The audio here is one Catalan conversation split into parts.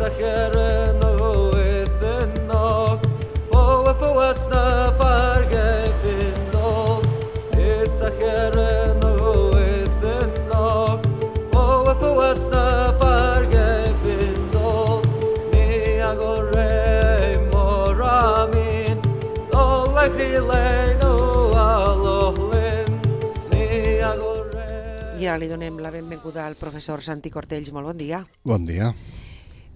I ara li donem la benvinguda al professor Santi Cortells. Molt bon dia. Bon dia.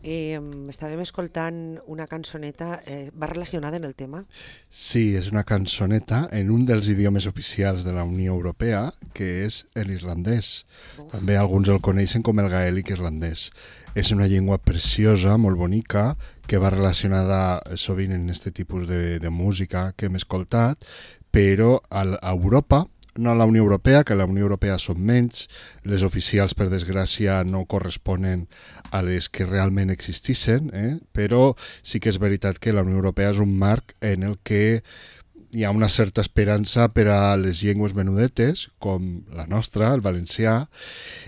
Estàvem escoltant una cançoneta, va relacionada en el tema? Sí, és una cançoneta en un dels idiomes oficials de la Unió Europea, que és l'irlandès. També alguns el coneixen com el gaèlic irlandès. És una llengua preciosa, molt bonica, que va relacionada sovint en aquest tipus de música que hem escoltat, però a Europa, no a la Unió Europea, que a la Unió Europea són menys, les oficials, per desgràcia, no corresponen a les que realment existissin, però sí que és veritat que la Unió Europea és un marc en el que hi ha una certa esperança per a les llengües menudetes, com la nostra, el valencià,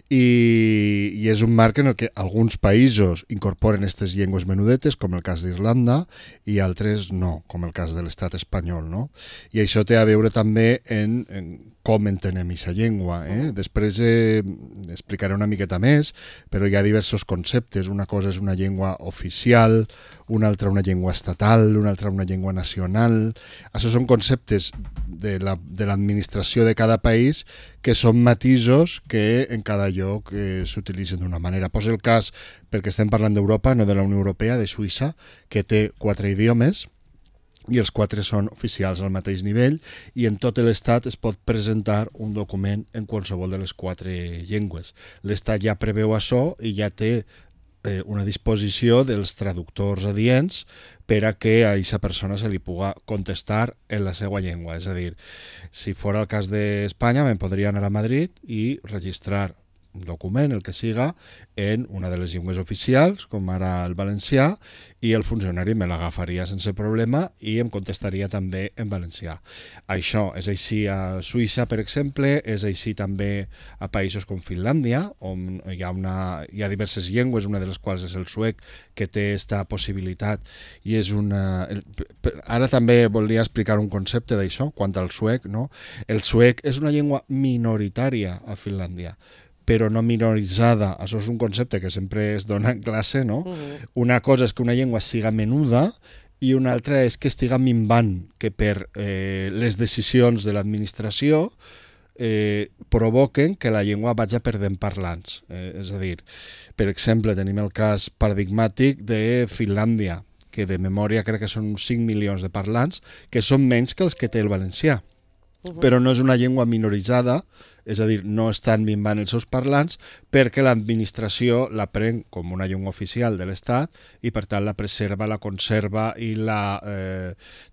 i és un marc en el que alguns països incorporen aquestes llengües menudetes, com el cas d'Irlanda, i altres no, com el cas de l'estat espanyol, no? I això té a veure també en com entenem aquesta llengua. Després explicaré una miqueta més, però hi ha diversos conceptes. Una cosa és una llengua oficial, una altra una llengua estatal, una altra una llengua nacional. Això són conceptes de l'administració de cada país que són matisos que en cada lloc s'utilitzen d'una manera. Posa el cas, perquè estem parlant d'Europa, no de la Unió Europea, de Suïssa, que té 4 idiomes, i els 4 són oficials al mateix nivell, i en tot l'estat es pot presentar un document en qualsevol de les 4 llengües. L'estat ja preveu això i ja té una disposició dels traductors adients per a que a aquesta persona se li pugui contestar en la seva llengua. És a dir, si fos el cas d'Espanya, me'n podria anar a Madrid i registrar un document, el que siga, en una de les llengües oficials, com ara el valencià, i el funcionari me l'agafaria sense problema i em contestaria també en valencià. Això és així a Suïssa, per exemple, és així també a països com Finlàndia, on hi ha diverses llengües, una de les quals és el suec, que té aquesta possibilitat. I és Ara també volia explicar un concepte d'això, quant al suec, no? El suec és una llengua minoritària a Finlàndia, però no minoritzada. Això és un concepte que sempre es dona en classe, no? Una cosa és que una llengua siga menuda i una altra és que estiga minvant, que per les decisions de l'administració provoquen que la llengua vagi perdent parlants. És a dir, per exemple, tenim el cas paradigmàtic de Finlàndia, que de memòria crec que són uns 5 milions de parlants, que són menys que els que té el valencià. Però no és una llengua minoritzada, és a dir, no estan minvant els seus parlants perquè l'administració la pren com una llengua oficial de l'Estat i per tant la preserva, la conserva i la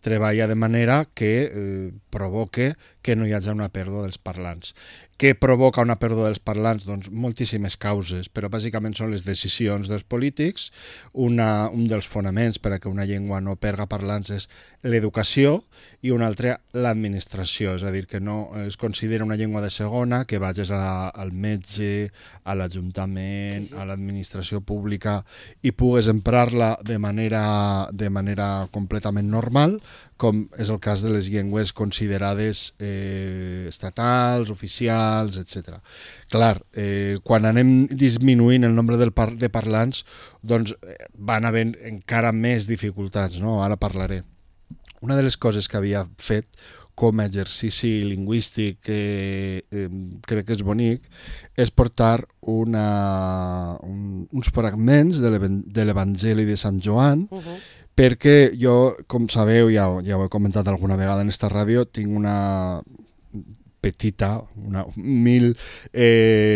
treballa de manera que provoque que no hi hagi una pèrdua dels parlants. Què provoca una pèrdua dels parlants? Doncs moltíssimes causes, però bàsicament són les decisions dels polítics. Un dels fonaments per a que una llengua no perga parlants és l'educació i un altre l'administració, és a dir, que no es considera una llengua de segona, que vagis al metge, a l'Ajuntament, a l'administració pública i pugues emprar-la de manera completament normal, com és el cas de les llengües considerades estatals, oficials, etc. Clar, quan anem disminuint el nombre de parlants, doncs van havent encara més dificultats, no? Ara parlaré. Una de les coses que havia fet com a exercici lingüístic que crec que és bonic és portar uns fragments de l'Evangeli de Sant Joan, perquè jo, com sabeu, ja ho he comentat alguna vegada en esta ràdio, tinc una petita, una humil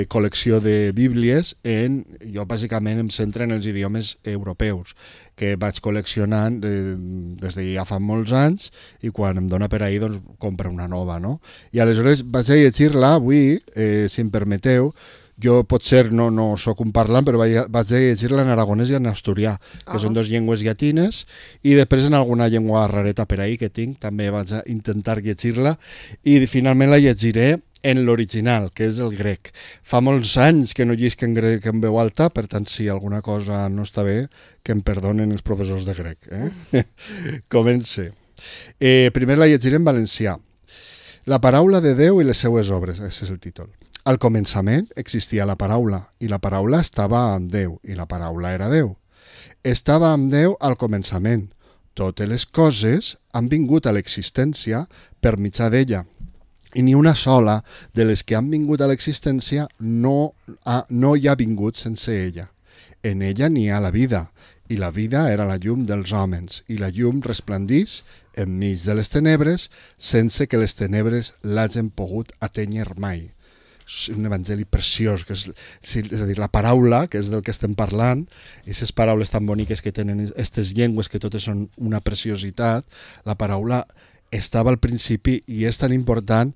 col·lecció de bíblies. Jo bàsicament em centro en els idiomes europeus, que vaig col·leccionant des de ja fa molts anys, i quan em dona per ahir doncs compro una nova, no? I aleshores vaig a llegir-la avui, si em permeteu, Jo potser no sóc un parlant, però vaig llegir-la en aragonès i en asturià, que són dues llengües llatines, i després en alguna llengua rareta per ahí que tinc, també vaig a intentar llegir-la, i finalment la llegiré en l'original, que és el grec. Fa molts anys que no llisc en grec en veu alta, per tant, si alguna cosa no està bé, que em perdonen els professors de grec. Comence. Primer la llegiré en valencià. La paraula de Déu i les seues obres, aquest és el títol. Al començament existia la paraula, i la paraula estava amb Déu, i la paraula era Déu. Estava amb Déu al començament. Totes les coses han vingut a l'existència per mitjà d'ella, i ni una sola de les que han vingut a l'existència no hi ha vingut sense ella. En ella n'hi ha la vida, i la vida era la llum dels homes, i la llum resplendís enmig de les tenebres sense que les tenebres l'hagin pogut atènyer mai. És un evangeli preciós, que és a dir, la paraula, que és del que estem parlant, aquestes paraules tan boniques que tenen aquestes llengües, que totes són una preciositat, la paraula estava al principi i és tan important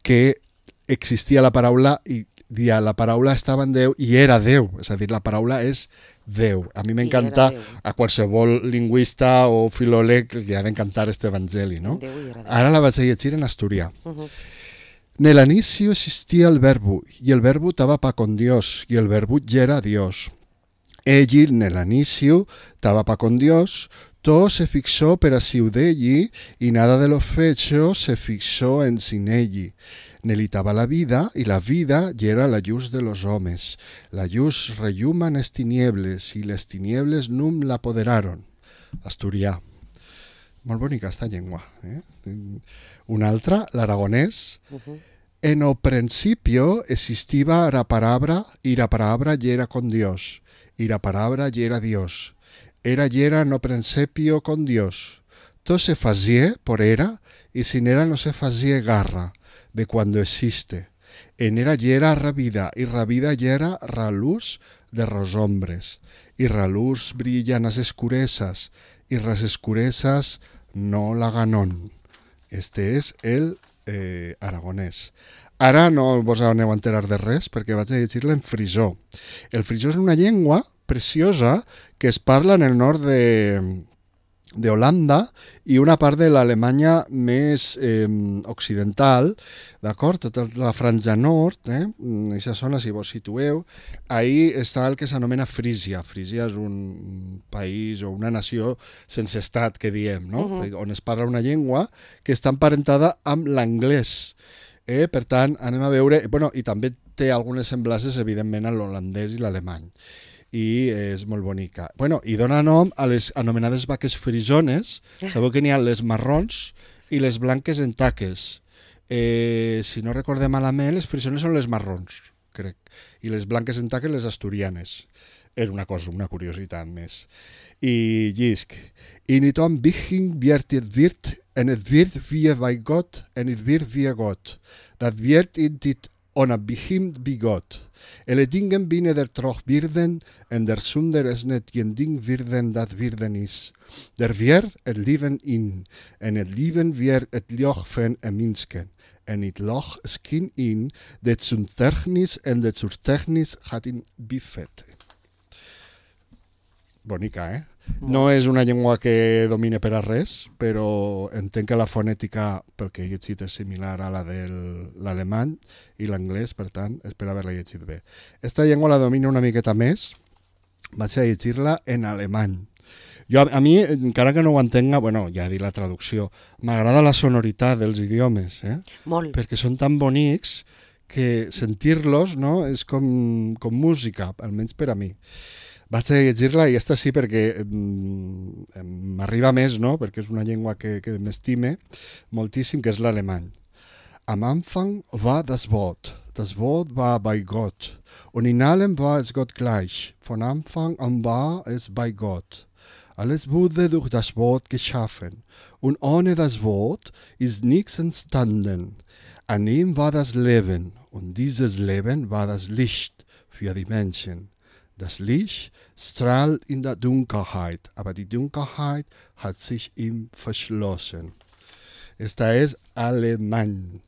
que existia la paraula i la paraula estava en Déu i era Déu, és a dir, la paraula és Déu. A mi m'encanta, a qualsevol lingüista o filòleg li ha d'encantar este evangeli, no? Ara la vaig a llegir en asturià. Nel inicio existía el verbo, y el verbo estaba pa con Dios, y el verbo ya era Dios. Egli nel inicio estaba pa con Dios. Todo se fixó per aciu d'egli, y nada de lo fecho se fixó en sin egli. N'elli estaba la vida, y la vida ya era la lluz de los homes. La lluz relluma en les tiniebles, y les tiniebles num l'apoderaron. Asturià. Molt bonica esta llengua. Una altra, l'aragonès. En o principio existiva la palabra, y la palabra ya era con Dios, y la palabra ya era Dios. Era y era no principio con Dios. Todo se fazía por era, y sin era no se fazía garra, de cuando existe. En era y era ra vida, y ra vida y era ra luz de los hombres. Y ra luz brillan las escurezas, y las escurezas no la ganon. Este és el aragonès. Ara no vos aneu a enterar de res perquè vaig a llegir-la en frisó. El frisó és una llengua preciosa que es parla en el nord de Holanda i una part de l'Alemanya més occidental, d'acord? Tota la franja nord, aquesta zona, si vos situeu, ahí està el que s'anomena Frísia. Frísia és un país o una nació sense estat, que diem, no? On es parla una llengua que està emparentada amb l'anglès. Per tant, anem a veure... I també té algunes semblances, evidentment, a l'holandès i l'alemany. I és molt bonica. I dona nom a les anomenades vaques frisones. Sabeu que n'hi ha les marrons i les blanques en taques. Si no recordem malament, les frisones són les marrons, crec. I les blanques en taques, les asturianes. És una cosa, una curiositat més. I llisc. I niet om begin wird het wird, en het wird wie bij God, en het wird wie God. Dat wird in dit on het begin bij God. Alle dingen binnen der troch werden, en der zunder is net geen ding werden dat werden is. Der wird het leven in, en het leven wird het loch van en minsken. En het loch skin in, dat zum technis en dat zur technis gaat in bifet. Bonica, No és una llengua que domine per a res, però entenc que la fonètica, pel que he llegit, és similar a la de l'alemany i l'anglès, per tant, espero haver-la llegit bé. Esta llengua la domino una miqueta més, vaig a llegir-la en alemany. A mi, encara que no ho entenga, ja he dit la traducció, m'agrada la sonoritat dels idiomes, Molt. Perquè són tan bonics que sentir-los, no, és com música, almenys per a mi. Vaig a llegir-la, i aquesta sí perquè m'arriba més, no? Perquè és una llengua que m'estime moltíssim, que és l'alemany. Am Anfang war das Wort war bei Gott, und in allem war es Gott gleich. Von Anfang an war es bei Gott. Alles wurde durch das Wort geschaffen, und ohne das Wort ist nichts entstanden. An ihm war das Leben, und dieses Leben war das Licht für die Menschen. Das Licht strahlt in der Dunkelheit, aber die Dunkelheit hat sich ihm verschlossen. Esta és alemany.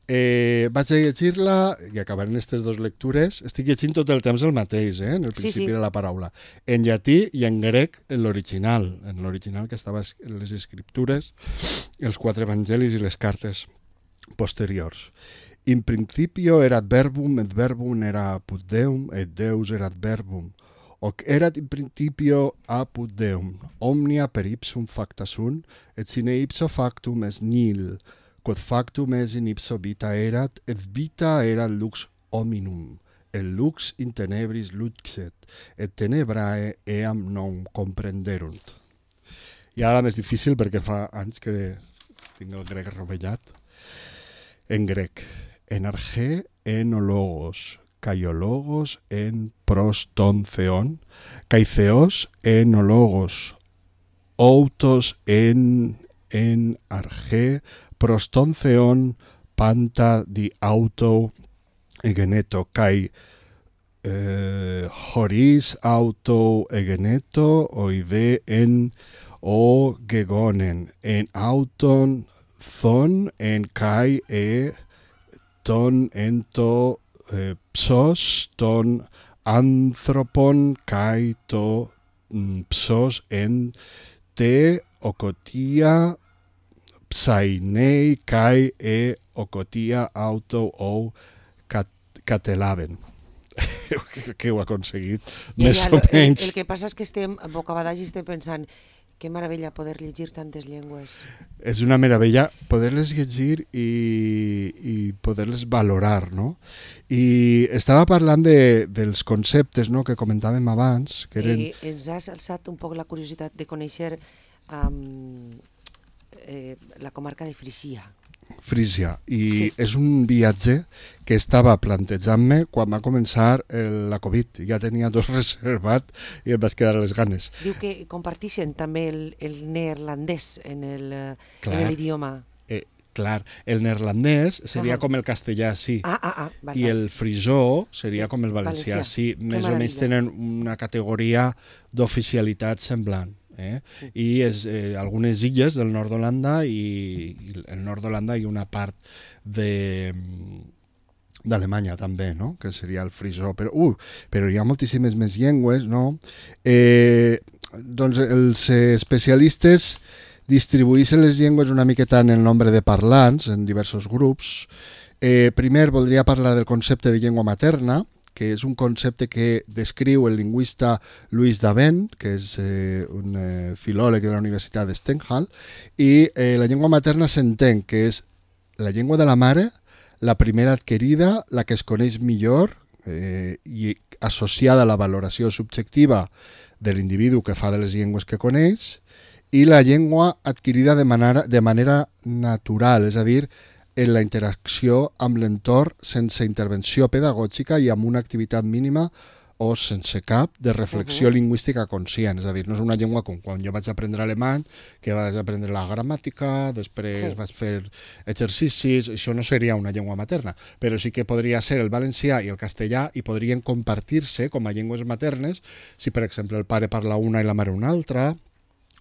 Vaig a llegir-la i acabaré en aquestes dues lectures. Estic llegint tot el temps el mateix, en el principi de la paraula. En llatí i en grec en l'original. En l'original que estava en les escriptures, els 4 evangelis i les cartes posteriors. In principio erat verbum, et verbum era apud Deum, et Deus erat verbum. Hoc erat in principio apud Deum. Omnia per ipsum facta sunt, et sine ipso factum est nihil. Quod factum est in ipso vita erat, et vita erat lux hominum. El lux in tenebris luxet, et tenebrae eam non comprenderunt. I ara la més difícil perquè fa anys que tinc el grec rovellat. En grec. En arge en ologos, kaiologos en proston theon, kaitheos en ologos, outos en arge, proston theon panta di auto egeneto, kai horis auto egeneto, oide en o gegonen, en auton thon, en kai ton ento psos, ton anthropon, kai to psos en te okotia psainei kai okotia auto o catelaven. Que ho ha aconseguit, més o menys. El que passa és que estem bocabadats i estem pensant que meravella poder llegir tantes llengües. És una meravella poder-les llegir i poder-les valorar, no? I estava parlant dels conceptes, no?, que comentàvem abans, que eren... Ens has alçat un poc la curiositat de conèixer la comarca de Frísia. Frísia, i és un viatge que estava plantejant-me quan va començar la Covid. Ja tenia 2 reservat i em vaig quedar a les ganes. Diu que compartixen també el neerlandès en l'idioma. Clar, el neerlandès seria com el castellà, sí. Vale. I el frisó seria com el valencià, sí. Més o menys tenen una categoria d'oficialitat semblant. I algunes illes del nord d'Holanda i el nord d'Holanda i una part d'Alemanya també, no?, que seria el frisó, però hi ha moltíssimes més llengües, no? Doncs els especialistes distribueixen les llengües una miqueta en el nombre de parlants en diversos grups. Primer voldria parlar del concepte de llengua materna, que és un concepte que descriu el lingüista Louis Daven, que és un filòleg de la Universitat de Stenghal, i la llengua materna s'entén que és la llengua de la mare, la primera adquirida, la que es coneix millor i associada a la valoració subjectiva de l'individu que fa de les llengües que coneix, i la llengua adquirida de manera natural, és a dir, en la interacció amb l'entorn sense intervenció pedagògica i amb una activitat mínima o sense cap de reflexió lingüística conscient. És a dir, no és una llengua com quan jo vaig aprendre alemany, que vaig aprendre la gramàtica, després vaig fer exercicis, això no seria una llengua materna, però sí que podria ser el valencià i el castellà i podrien compartir-se com a llengües maternes si, per exemple, el pare parla una i la mare una altra,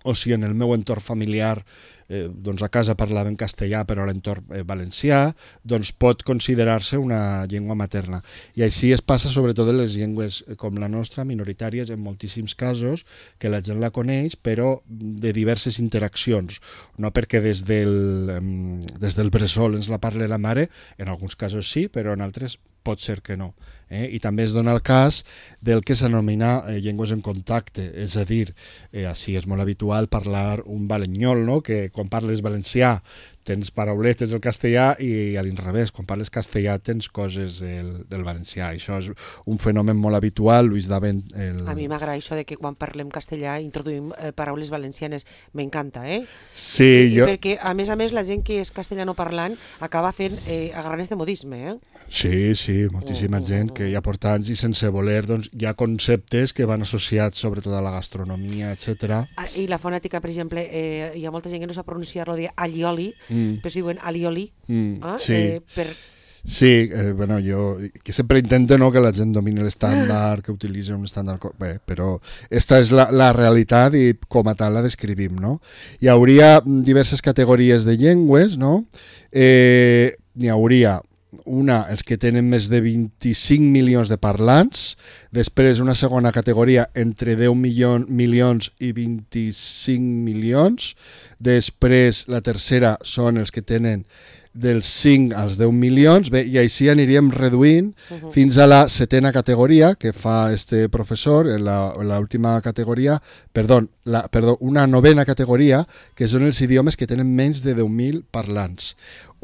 o si en el meu entorn familiar doncs a casa parlaven castellà però a l'entorn valencià, doncs pot considerar-se una llengua materna. I així es passa sobretot en les llengües com la nostra, minoritàries en moltíssims casos, que la gent la coneix però de diverses interaccions, no perquè des del bressol ens la parli la mare, en alguns casos sí, però en altres pot ser que no. I també es dona el cas del que s'anomena llengües en contacte, és a dir, així és molt habitual parlar un balenyol, no?, que quan parles valencià tens parauletes del castellà i a l'inrevés, quan parles castellà tens coses del valencià. Això és un fenomen molt habitual, Louis Daven... A mi m'agrada això de que quan parlem castellà introduïm paraules valencianes, m'encanta, Sí, perquè a més la gent que és castellanoparlant acaba fent agarrant de modisme, Sí, moltíssima gent que ja porta anys i sense voler, doncs hi ha conceptes que van associats sobretot a la gastronomia, etc. I la fonètica, per exemple, hi ha molta gent que no sap pronunciar-lo de allioli, però si diuen alioli. Sí, bueno, jo que sempre intento, no, que la gent domini l'estàndard, que utilitzi un estàndard... Bé, però esta és la realitat i com a tal la descrivim, no? Hi hauria diverses categories de llengües, no? n'hi hauria els que tenen més de 25 milions de parlants, després una segona categoria entre 10 milions i 25 milions, després la tercera són els que tenen dels 5 als 10 milions, bé, i així aniríem reduint fins a la setena categoria que fa este professor, l'última categoria, una novena categoria, que són els idiomes que tenen menys de 10.000 parlants.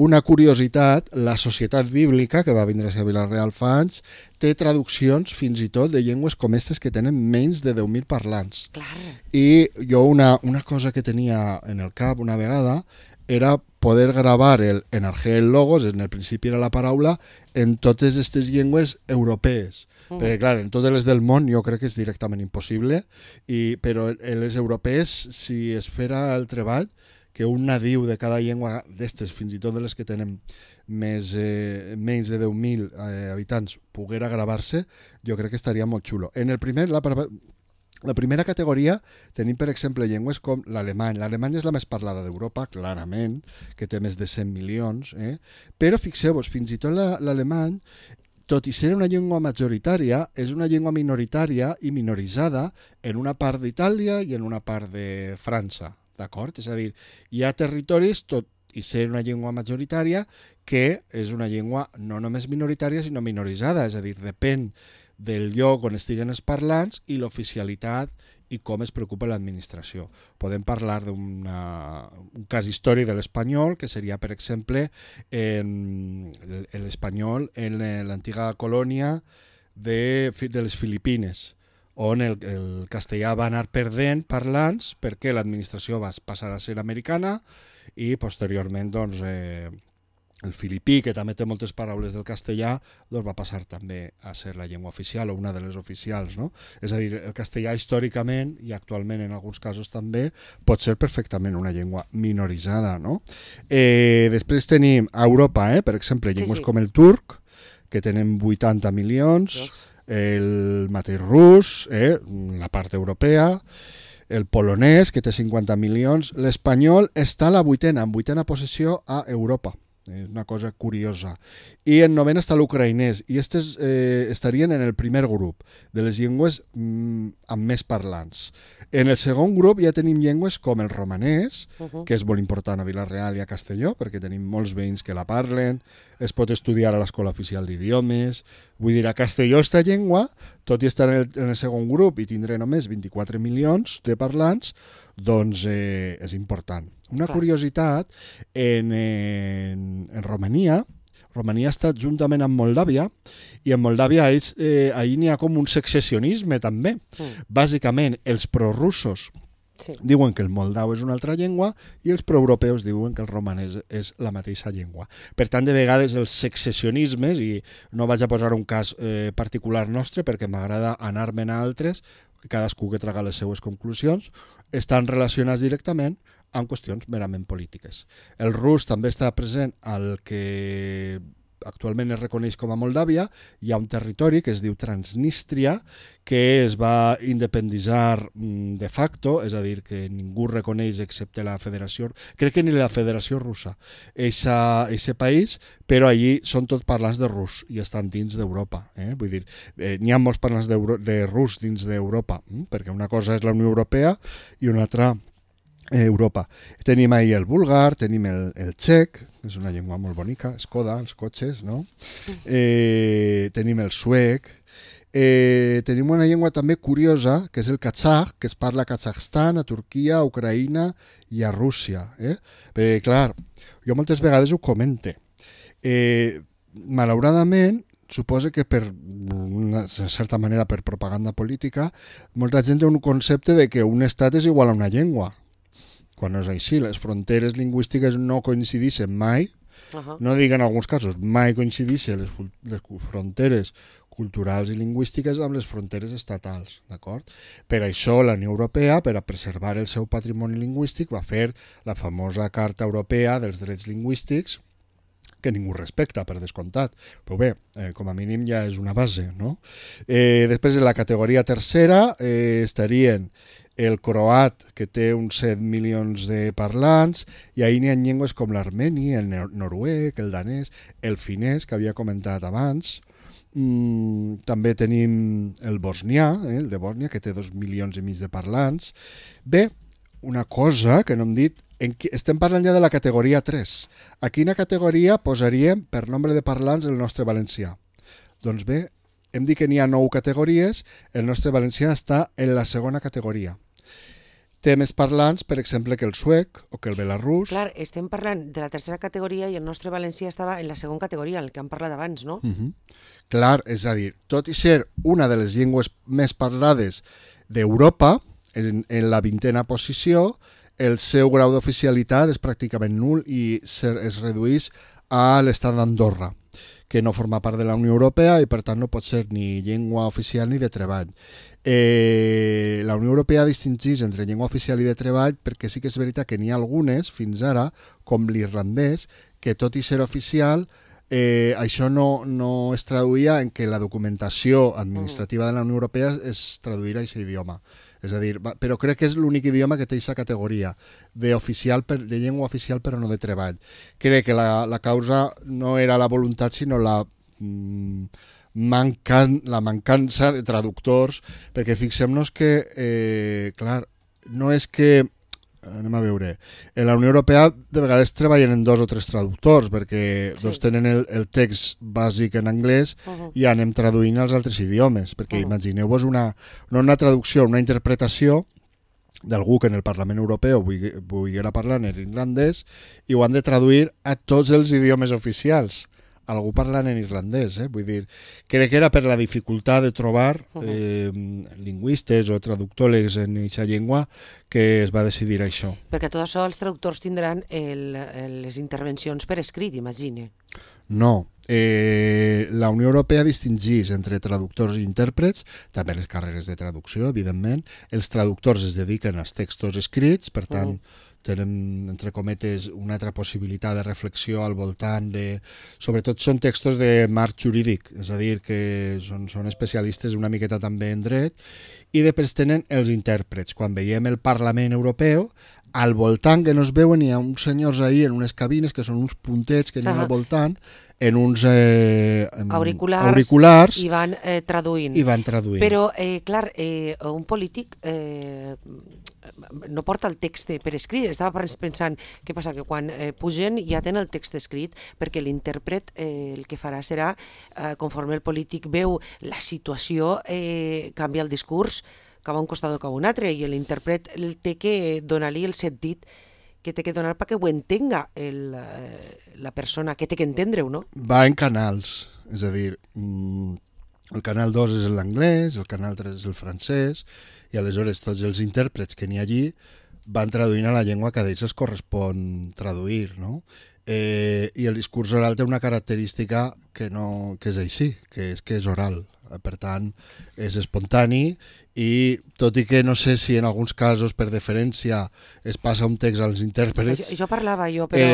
Una curiositat, la Societat Bíblica, que va vindre a Vila-real fa anys, té traduccions fins i tot de llengües com aquestes que tenen menys de 10.000 parlants. Clar. I jo una cosa que tenia en el cap una vegada era poder gravar el Enargé el Logos, en el principi era la paraula, en totes aquestes llengües europees. Perquè, clar, en totes les del món jo crec que és directament impossible, però en les europees, si es fera el treball, que un nadiu de cada llengua d'estes, fins i tot de les que tenen menys de 10.000 habitants, poguera gravar-se, jo crec que estaria molt xulo. En el primer, la primera categoria tenim, per exemple, llengües com l'alemany. L'alemany és la més parlada d'Europa, clarament, que té més de 100 milions, però fixeu-vos, fins i tot l'alemany, tot i ser una llengua majoritària, és una llengua minoritària i minoritzada en una part d'Itàlia i en una part de França, d'acord? És a dir, hi ha territoris, tot i ser una llengua majoritària, que és una llengua no només minoritària, sinó minoritzada, és a dir, depèn del lloc on estiguen els parlants i l'oficialitat i com es preocupa l'administració. Podem parlar d'un cas històric de l'espanyol, que seria, per exemple, l'espanyol en l'antiga colònia de les Filipines, on el castellà va anar perdent parlants perquè l'administració va passar a ser americana i posteriorment doncs, el filipí, que també té moltes paraules del castellà, doncs va passar també a ser la llengua oficial o una de les oficials, no? És a dir, el castellà històricament i actualment en alguns casos també pot ser perfectament una llengua minoritzada, no? Després tenim a Europa, per exemple, llengües com el turc, que tenen 80 milions, el mateix rus, la part europea, el polonès, que té 50 milions, l'espanyol està a la vuitena posició a Europa. És una cosa curiosa. I en novena està l'ucraïnès, i aquestes estarien en el primer grup de les llengües amb més parlants. En el segon grup ja tenim llengües com el romanès, que és molt important a Vila-real i a Castelló, perquè tenim molts veïns que la parlen, es pot estudiar a l'Escola Oficial d'Idiomes. Vull dir, a Castelló esta llengua, tot i estar en el segon grup i tindrà només 24 milions de parlants, doncs és important. Una curiositat, en Romania està juntament amb Moldàvia, i en Moldàvia ahir n'hi ha com un secessionisme també. Bàsicament, els prorussos diuen que el moldau és una altra llengua i els proeuropeus diuen que el romanès és la mateixa llengua. Per tant, de vegades els secessionismes, i no vaig a posar un cas particular nostre perquè m'agrada anar-me'n a altres, cadascú que traga les seues conclusions, estan relacionats directament amb qüestions merament polítiques. El rus també està present al que actualment es reconeix com a Moldàvia. Hi ha un territori que es diu Transnistria, que es va independitzar de facto, és a dir, que ningú reconeix excepte la federació, crec que ni la federació russa, eixe país, però allí són tots parlants de rus i estan dins d'Europa. Vull dir, n'hi ha molts parlants de rus dins d'Europa, perquè una cosa és la Unió Europea i una altra Europa. Tenim ahir el búlgar, tenim el txec, és una llengua molt bonica, Skoda, els cotxes, no? Tenim el suec, tenim una llengua també curiosa, que és el katzakh, que es parla a Kazakhstan, a Turquia, a Ucraïna i a Rússia. Perquè, clar, jo moltes vegades ho comente. Malauradament, suposa que per una certa manera per propaganda política, molta gent té un concepte de que un estat és igual a una llengua. Quan no és així, les fronteres lingüístiques no coincideixen mai, no dic en alguns casos, mai coincideixen les fronteres culturals i lingüístiques amb les fronteres estatals, d'acord? Per això la Unió Europea, per a preservar el seu patrimoni lingüístic, va fer la famosa Carta Europea dels Drets Lingüístics, que ningú respecta, per descomptat. Però bé, com a mínim ja és una base, no? Després, en la categoria tercera, estarien el croat, que té uns 7 milions de parlants, i ahir n'hi ha llengües com l'armeni, el noruec, el danès, el finès, que havia comentat abans. També tenim el bosnià, el de Bòsnia, que té 2 milions i mig de parlants. Bé, una cosa que no hem dit, estem parlant ja de la categoria 3. A quina categoria posaríem per nombre de parlants el nostre valencià? Doncs bé, hem dit que n'hi ha 9 categories, el nostre valencià està en la segona categoria. Té més parlants, per exemple, que el suec o que el belarús. Clar, estem parlant de la tercera categoria i el nostre valencià estava en la segona categoria, el que hem parlat abans, no? Clar, és a dir, tot i ser una de les llengües més parlades d'Europa, en la 20a posició, el seu grau d'oficialitat és pràcticament nul i es redueix a l'estat d'Andorra, que no forma part de la Unió Europea i per tant no pot ser ni llengua oficial ni de treball. La Unió Europea distingeix entre llengua oficial i de treball perquè sí que és veritat que n'hi ha algunes, fins ara, com l'irlandès, que tot i ser oficial, això no es traduïa en que la documentació administrativa de la Unió Europea es traduïra a aquest idioma. És a dir, però crec que és l'únic idioma que té aquesta categoria de llengua oficial però no de treball. Crec que la causa no era la voluntat, sinó la mancança de traductors, perquè fixem-nos que, clar, no és que, anem a veure, en la Unió Europea de vegades treballen en 2 o 3 traductors, perquè doncs, tenen el text bàsic en anglès i anem traduint als altres idiomes, perquè imagineu-vos no una traducció, una interpretació d'algú que en el Parlament Europeu volguera parlar en irlandès i ho han de traduir a tots els idiomes oficials. Algú parlant en irlandès, vull dir, crec que era per la dificultat de trobar lingüistes o traductors en aquesta llengua que es va decidir això. Perquè tot això els traductors tindran les intervencions per escrit, imagine. No, la Unió Europea distingeix entre traductors i intèrprets, també les carreres de traducció, evidentment. Els traductors es dediquen als textos escrits, per tant, tenen, entre cometes, una altra possibilitat de reflexió al voltant de... Sobretot són textos de marc jurídic, és a dir, que són especialistes una miqueta també en dret, i després tenen els intèrprets. Quan veiem el Parlament Europeu, al voltant que no es veuen hi ha uns senyors ahí en unes cabines que són uns puntets que n'hi ha al voltant, en uns auriculars i van traduint. Però, clar, un polític no porta el text per escrit. Estava pensant, què passa? Que quan pugen ja tenen el text escrit, perquè l'intèrpret el que farà serà, conforme el polític veu la situació, canvia el discurs cap a un costat o cap a un altre, i l'intèrpret té que donar-li el sentit que té que donar perquè ho entenga la persona, que té que entendre-ho, no? Va en canals, és a dir, el canal 2 és l'anglès, el canal 3 és el francès, i aleshores tots els intèrprets que n'hi ha allí van traduint a la llengua que a ells els correspon traduir, no? I el discurs oral té una característica que és així, que és oral. Per tant, és espontani i tot i que no sé si en alguns casos per deferència es passa un text als intèrprets, això parlava jo, però...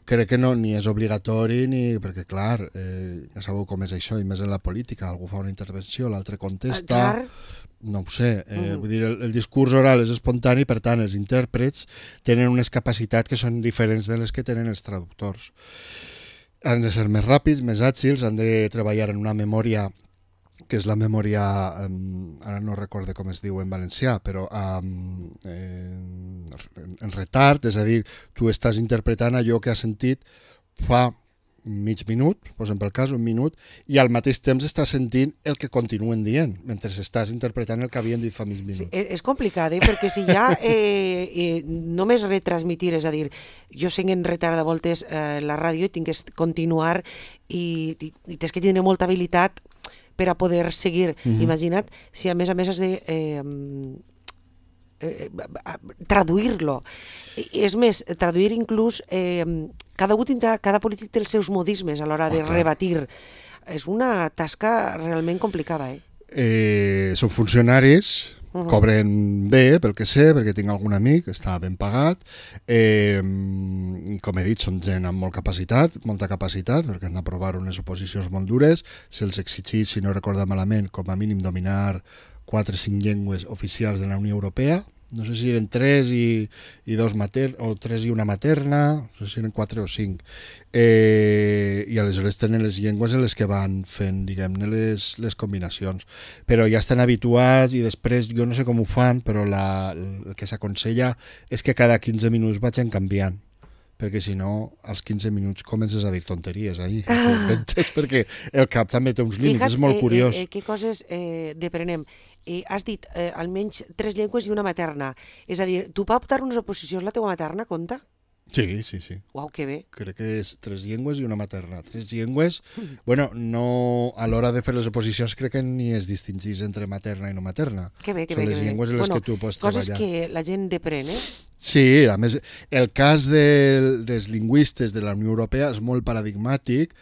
crec que no, ni és obligatori perquè clar, ja sabeu com és això, i més en la política, algú fa una intervenció, l'altre contesta, no ho sé, vull dir, el discurs oral és espontani, per tant els intèrprets tenen unes capacitats que són diferents de les que tenen els traductors. Han de ser més ràpids, més àgils, han de treballar en una memòria que és la memòria, ara no recordo com es diu en valencià, però en retard, és a dir, tu estàs interpretant allò que has sentit fa mig minut, posem pel cas, un minut, i al mateix temps estàs sentint el que continuen dient, mentre estàs interpretant el que havien dit fa mig minut. Sí, és complicat, perquè si ja només retransmitir, és a dir, jo sé en retard de voltes la ràdio i tinc que continuar i tens que tenir molta habilitat per a poder seguir. Imagina't si a més has de traduir-lo. És més, traduir inclús, cada polític té els seus modismes a l'hora de rebatir. És una tasca realment complicada. Són funcionaris, Cobren bé, pel que sé, perquè tinc algun amic que està ben pagat. Com he dit, són gent amb molta capacitat, perquè han d'aprovar unes oposicions molt dures. Se'ls exigeix, si no recordo malament, com a mínim dominar 4 o 5 llengües oficials de la Unió Europea. No sé si eren 3 i 2 o 3 i una materna, no sé si eren 4 o 5. I aleshores tenen les llengües en les que van fent, diguem-ne, les combinacions. Però ja estan habituats i després, jo no sé com ho fan, però el que s'aconsella és que cada 15 minuts vagin canviant, perquè si no, als 15 minuts comences a dir tonteries ahir, perquè el cap també té uns límits, és molt curiós. Què coses deprenem? Has dit almenys 3 llengües i una materna. És a dir, tu pot optar unes oposicions la teua materna, compta? Sí. Uau, que bé. Crec que és 3 llengües i una materna. 3 llengües, bueno, no, a l'hora de fer les oposicions crec que ni es distingís entre materna i no materna. Que bé. Són les llengües en les que tu pots treballar. Coses que la gent depren, Sí, a més, el cas dels lingüistes de la Unió Europea és molt paradigmàtic,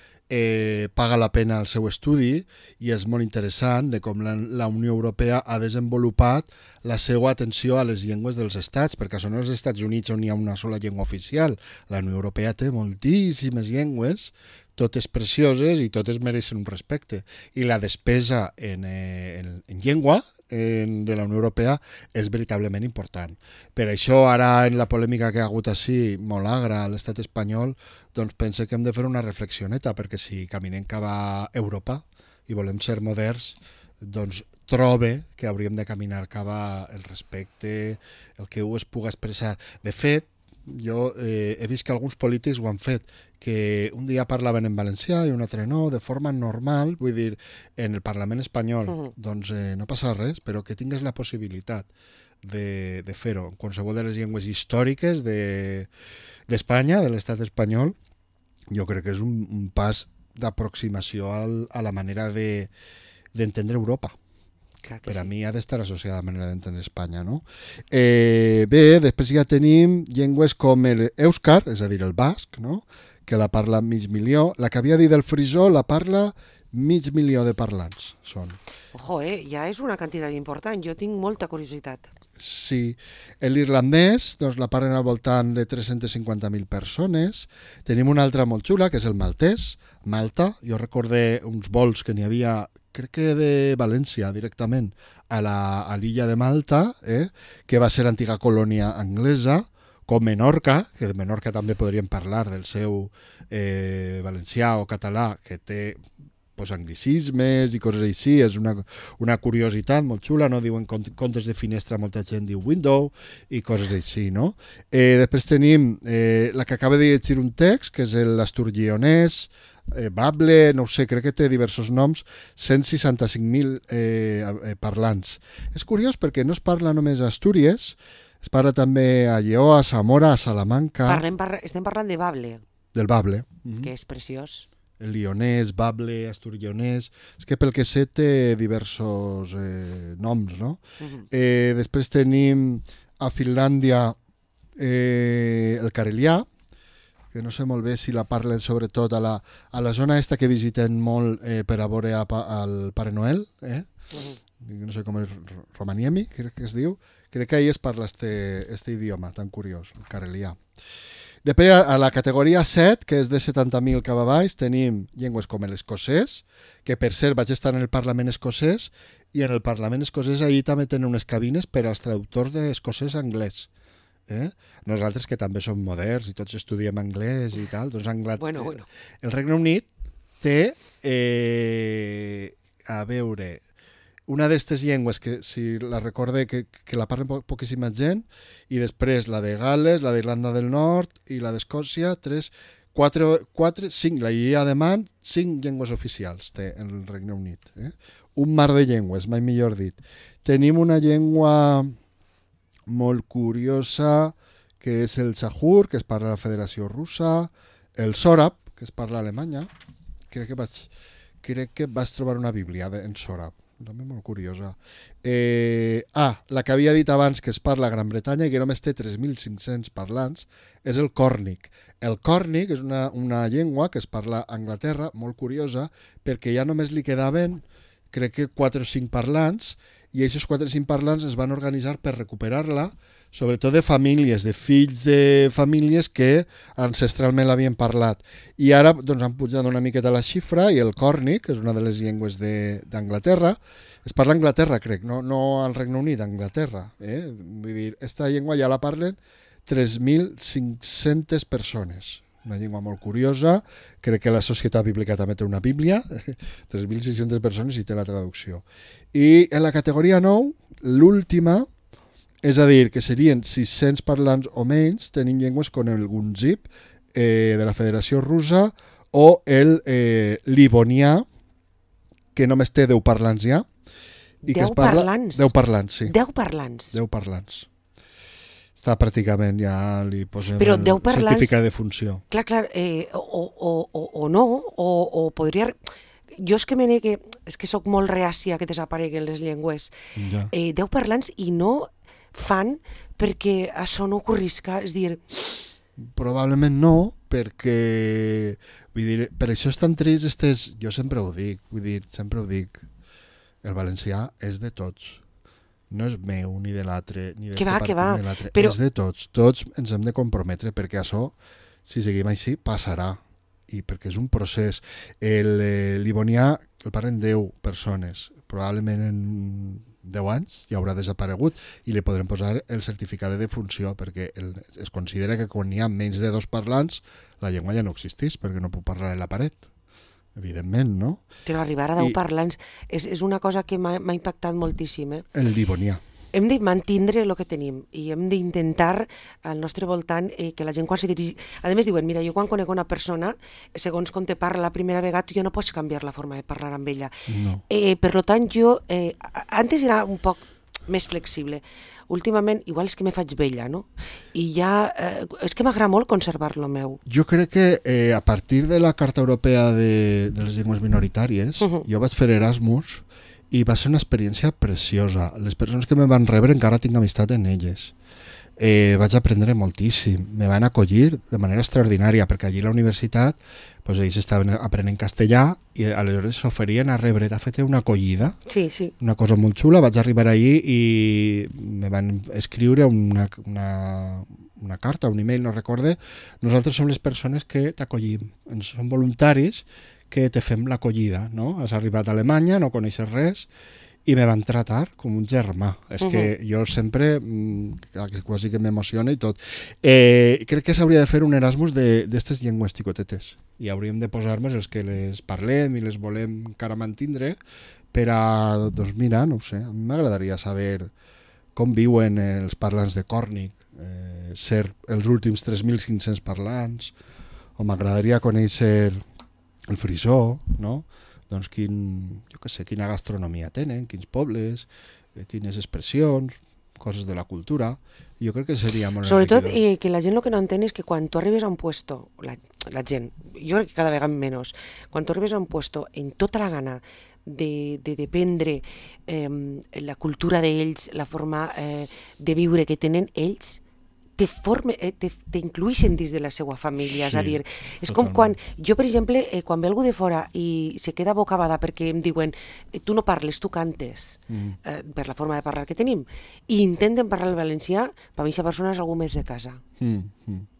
paga la pena el seu estudi i és molt interessant de com la Unió Europea ha desenvolupat la seva atenció a les llengües dels estats, perquè són els Estats Units on hi ha una sola llengua oficial. La Unió Europea té moltíssimes llengües, totes precioses i totes mereixen un respecte. I la despesa en llengua de la Unió Europea és veritablement important. Per això ara en la polèmica que ha hagut així, molt agra a l'estat espanyol, doncs pense que hem de fer una reflexioneta, perquè si caminem cap a Europa i volem ser moderns, doncs trobe que hauríem de caminar cap al respecte, el que es puga expressar. De fet, jo he vist que alguns polítics ho han fet, que un dia parlaven en valencià i un altre no, de forma normal, vull dir, en el Parlament espanyol, doncs no passa res, però que tingues la possibilitat de fer-ho en qualsevol de les llengües històriques d'Espanya, de l'estat espanyol, jo crec que és un pas d'aproximació a la manera d'entendre Europa. Per a mi ha d'estar associada a la manera d'entendre Espanya, no? Bé, després ja tenim llengües com l'èuscar, és a dir, el basc, no? Que la parla mig milió. La que havia dit el frisó la parla mig milió de parlants. Són. Ojo, ja és una quantitat important. Jo tinc molta curiositat. Sí. L'irlandès doncs, la parlen al voltant de 350.000 persones. Tenim una altra molt xula, que és el maltès, Malta. Jo recordé uns vols que n'hi havia, crec que de València directament, a l'illa de Malta, que va ser antiga colònia anglesa, com Menorca, que de Menorca també podríem parlar del seu valencià o català, que té anglicismes i coses així, és una curiositat molt xula, no? Diuen contes de finestra, molta gent diu window i coses així, no? Després tenim la que acaba de llegir un text, que és l'asturguionès, Bable, no ho sé, crec que té diversos noms, 165.000 parlants. És curiós perquè no es parla només a Astúries, es parla també a Lleó, a Zamora, a Salamanca. Estem parlant de Bable. Del Bable. Que és preciós. El lionès, Bable, asturionès. És que pel que sé té diversos noms, no? Després tenim a Finlàndia el carelià, que no sé molt bé si la parlen sobretot a la zona esta que visiten molt per a veure al Pare Noel, no sé com és, Romaniemi, crec que es diu. Crec que ahí es parla este idioma tan curiós, el carelià. Després, a la categoria 7, que és de 70.000 cap a baix, tenim llengües com l'escocès, que per cert vaig estar en el Parlament escocès, i en el Parlament escocès ahir també tenen unes cabines per als traductors d'escocès a anglès. Nosaltres, que també som moderns i tots estudiem anglès i tal, doncs Bueno. El Regne Unit té, a veure, una d'aquestes llengües que, si la recorde, que la parlen poquíssima gent, i després la de Gal·les, la d'Irlanda del Nord i la d'Escòcia, 5, la Ilha de Man, 5 llengües oficials té el Regne Unit. Un mar de llengües, mai millor dit. Tenim una llengua molt curiosa, que és el Sahur, que es parla a la Federació Russa, el Sòrab, que es parla a Alemanya. Crec que vaig trobar una bíblia en Sòrab, també molt curiosa. La que havia dit abans, que es parla a Gran Bretanya i que només té 3.500 parlants, és el còrnic. El còrnic és una llengua que es parla a Anglaterra, molt curiosa, perquè ja només li quedaven, crec que 4 o 5 parlants, i aquests 4 o 5 parlants es van organitzar per recuperar-la, sobretot de famílies, de fills de famílies que ancestralment l'havien parlat. I ara doncs, han pujat una miqueta la xifra i el còrnic, que és una de les llengües d'Anglaterra, es parla a Anglaterra, crec, no al Regne Unit, a Anglaterra. Vull dir, aquesta llengua ja la parlen 3.500 persones. Una llengua molt curiosa, crec que la Societat Bíblica també té una bíblia, 3.600 persones i té la traducció. I en la categoria 9, l'última, és a dir, que serien 600 parlants o menys, tenim llengües com el gunzip de la Federació Russa o el livonià, que només té 10 parlants ja. 10 parlants? 10 parlants, sí. 10 parlants? 10 parlants. Està pràcticament, ja li posem el certificat de funció. Clar, o no, o podria... Jo és que és que soc molt reàcia que desapareguen les llengües. Ja. 10 parlants i no fan perquè això no ocorrisca, és dir... Probablement no, perquè vull dir, per això és tan trist, jo sempre ho dic, el valencià és de tots. No és meu, ni de l'altre, ni d'este partit, ni de l'altre. Però... És de tots. Tots ens hem de comprometre perquè això, si seguim així, passarà. I perquè és un procés. El livonià el parlen 10 persones. Probablement en 10 anys ja haurà desaparegut i li podrem posar el certificat de defunció perquè es considera que quan hi ha menys de 2 parlants la llengua ja no existeix perquè no puc parlar en la paret. Evidentment, no? Però arribar a 10 parlants és una cosa que m'ha impactat moltíssim. El livonià. Hem de mantindre el que tenim i hem d'intentar al nostre voltant que la gent quan se dirigeix... A més diuen, mira, jo quan conec una persona, segons com te parla la primera vegada, jo no pots canviar la forma de parlar amb ella. No. Per tant, jo... Antes era un poc més flexible. Últimament, igual és que me faig vella, no? I ja... és que m'agrada molt conservar-lo meu. Jo crec que a partir de la Carta Europea de les Llengües Minoritàries, jo vaig fer Erasmus i va ser una experiència preciosa. Les persones que me van rebre encara tinc amistat en elles. Vaig aprendre moltíssim. Me van acollir de manera extraordinària, perquè allí a la universitat pues, ells estaven aprenent castellà i aleshores s'oferien a rebre. De fet, una acollida, sí. Una cosa molt xula. Vaig arribar allí i me van escriure una carta, un email, no recorde. Nosaltres som les persones que t'acollim. Som voluntaris que te fem l'acollida, no? Has arribat a Alemanya, no coneixes res, i me van tratar com un germà. És que jo sempre, quasi que m'emociona i tot. Crec que s'hauria de fer un Erasmus d'estes llengües xicotetes. I hauríem de posar-nos els que les parlem i les volem encara mantindre per a, doncs mira, no ho sé, a mi m'agradaria saber com viuen els parlants de còrnic, ser els últims 3.500 parlants, o m'agradaria conèixer el frisó, no? Doncs quina gastronomia tenen, quins pobles, quines expressions, coses de la cultura. Jo crec que seria molt enriquidor. Sobretot que la gent el que no entén és que quan tu arribes a un puesto, la gent, jo crec que cada vegada menys, quan tu arribes a un puesto en tota la gana de dependre la cultura d'ells, la forma de viure que tenen ells, t'incluïxen dins de la seva família, és a dir, és com quan, jo per exemple, quan ve algú de fora i se queda bocabada perquè em diuen tu no parles, tu cantes, per la forma de parlar que tenim, i intenten parlar el valencià, per mi aquesta persona és algú més de casa.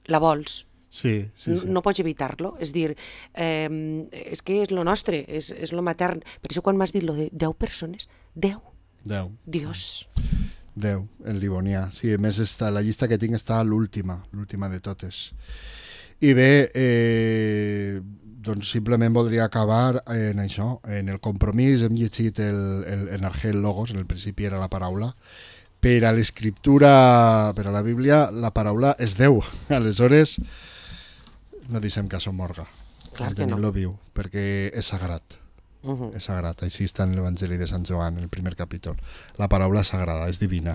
La vols. Sí. No pots evitar-lo, és dir, és que és lo nostre, és lo matern. Per això quan m'has dit lo de 10 persones, 10. Dios. 10, el livonià. Sí, a més, la llista que tinc està l'última de totes. I bé, doncs simplement voldria acabar en això, en el compromís. Hem llegit en Argel Logos, en el principi era la paraula. Per a l'escriptura, per a la Bíblia, la paraula és Déu. Aleshores, no deixem que això morga. Clar que no. Tenim-lo viu, perquè és sagrat. És sagrat, així està en l'Evangeli de Sant Joan, en el primer capítol. La paraula és sagrada, és divina.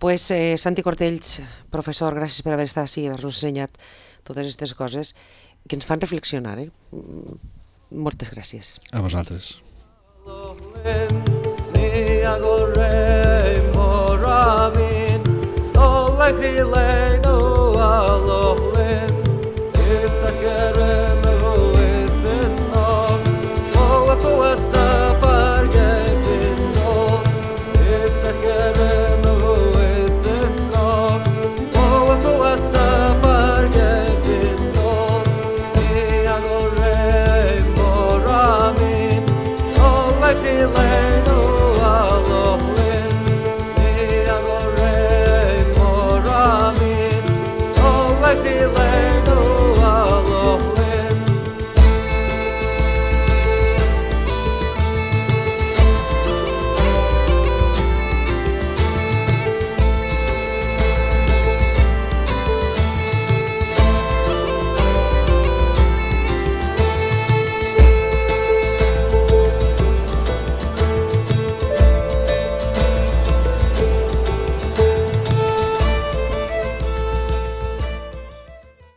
Pues Santi Cortells, professor, gràcies per haver estat així i haver-nos ensenyat totes aquestes coses que ens fan reflexionar. Moltes gràcies. A vosaltres.